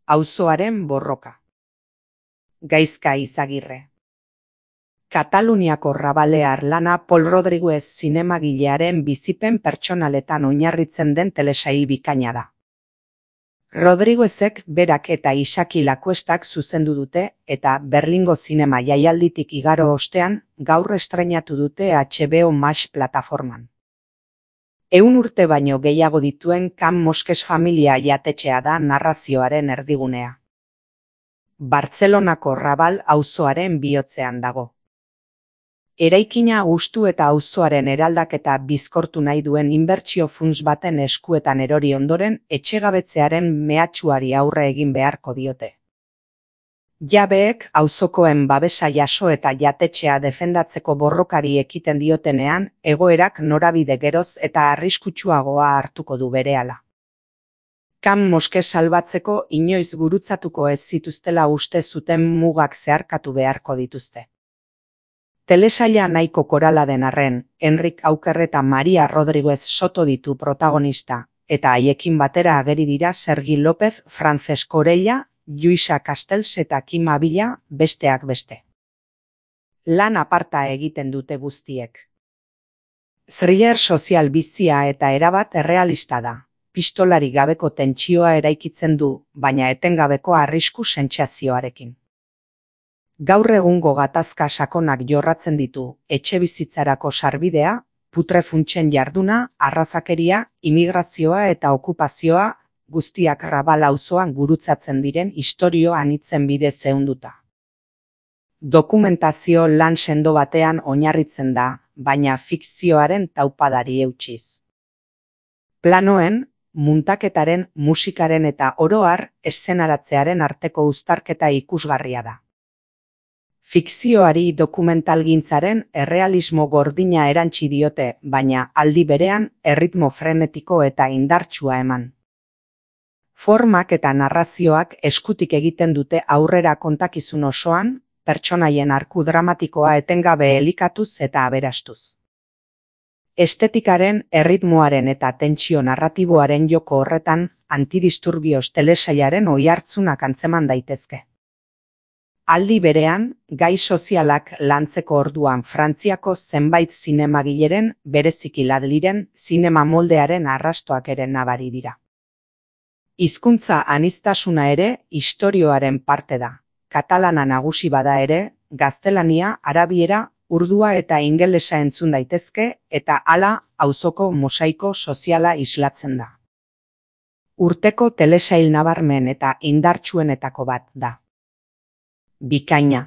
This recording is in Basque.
Auzoaren borroka. Gaizka Izagirre. Kataluniako rabalear lana Pol Rodriguez zinemagilearen bizipen pertsonaletan oinarritzen den telesail bikaina da. Rodriguezek berak eta Isaki Lakuestak zuzendu dute eta Berlingo zinema jaialditik igaro ostean gaur estreinatu dute HBO Max plataforman. 100 urte baino gehiago dituen Can Mosques familia jatetxea da narrazioaren erdigunea. Bartzelonako Rabal auzoaren bihotzean dago. Eraikina hustu eta auzoaren eraldaketa bizkortu nahi duen inbertsio funts baten eskuetan erori ondoren etxegabetzearen mehatxuari aurre egin beharko diote. Jabeek auzokoen babesa jaso eta jatetxea defendatzeko borrokari ekiten diotenean, egoerak norabide geroz eta arriskutsuagoa hartuko du berehala. Can Mosques salbatzeko inoiz gurutzatuko ez zituztela uste zuten mugak zeharkatu beharko dituzte. Telesaila nahiko korala den arren, Enrik Auker eta Maria Rodriguez Soto ditu protagonista, eta haiekin batera ageri dira Sergi López, Francesco Orella, Lluïsa Castells eta Kim Abila, besteak beste. Lan aparta egiten dute guztiek. Thriller sozial bizia eta erabat errealista da. Pistolari gabeko tentsioa eraikitzen du, baina etengabeko arrisku sentsazioarekin. Gaur egungo gatazka sakonak jorratzen ditu, etxebizitzarako sarbidea, putrefuntsen jarduna, arrazakeria, imigrazioa eta okupazioa, guztiak Rabal auzoan gurutzatzen diren istorio anitzen bidez ehunduta. Dokumentazio lan sendo batean oinarritzen da, baina fikzioaren taupadari eutsiz. Planoen, muntaketaren, musikaren eta oro har eszenaratzearen arteko uztarketa ikusgarria da. Fikzioari dokumentalgintzaren errealismo gordina erantsi diote, baina aldi berean erritmo frenetiko eta indartsua eman. Formak eta narrazioak eskutik egiten dute aurrera kontakizun osoan, pertsonaien arku dramatikoa etengabe elikatuz eta aberastuz. Estetikaren, erritmoaren eta tentsio narratiboaren joko horretan, antidisturbios telesailaren oihartzunak antzeman daitezke. Aldi berean, gai sozialak lantzeko orduan Frantziako zenbait zinemagileren, bereziki Ladliren, zinema moldearen arrastoak ere nabari dira. Hizkuntza aniztasuna ere istorioaren parte da. Katalana nagusi bada ere, gaztelania, arabiera, urdua eta ingelesa entzun daitezke eta hala auzoko mosaiko soziala islatzen da. Urteko telesail nabarmen eta indartsuenetako bat da. Bikaina.